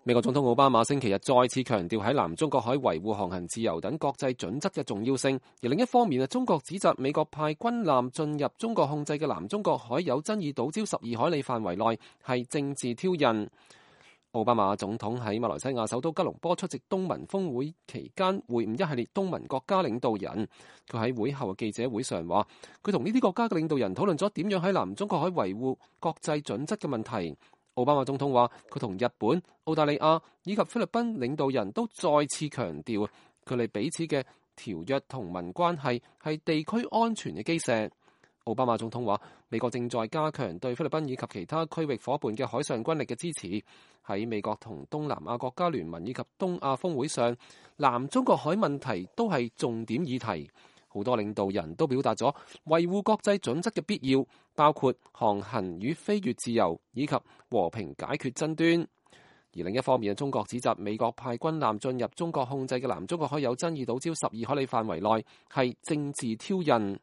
美國總統奧巴馬星期日再次強調喺南中國海維護航行自由等國際準則嘅重要性，而另一方面中國指責美國派軍艦進入中國控制嘅南中國海有爭議島礁12海里範圍內係政治挑釁。奧巴馬總統喺馬來西亞首都吉隆坡出席東盟峰會期間會晤一系列東盟國家領導人，佢喺會後嘅記者會上話，佢同呢啲國家嘅領導人討論咗點樣喺南中國海維護國際準則嘅問題。奧巴馬總統話，佢同日本、澳大利亞以及菲律賓領導人都再次強調，佢哋彼此嘅條約同盟關係係地區安全嘅基石。奧巴馬總統話，美國正在加強對菲律賓以及其他區域夥伴嘅海上軍力嘅支持。喺美國同東南亞國家聯盟以及東亞峰會上，南中國海問題都係重點議題。好多領導人都表達咗維護國際準則嘅必要，包括航行與飛越自由以及和平解決爭端。而另一方面，中國指責美國派軍艦進入中國控制嘅南中國海有爭議島礁12海里範圍內係政治挑釁。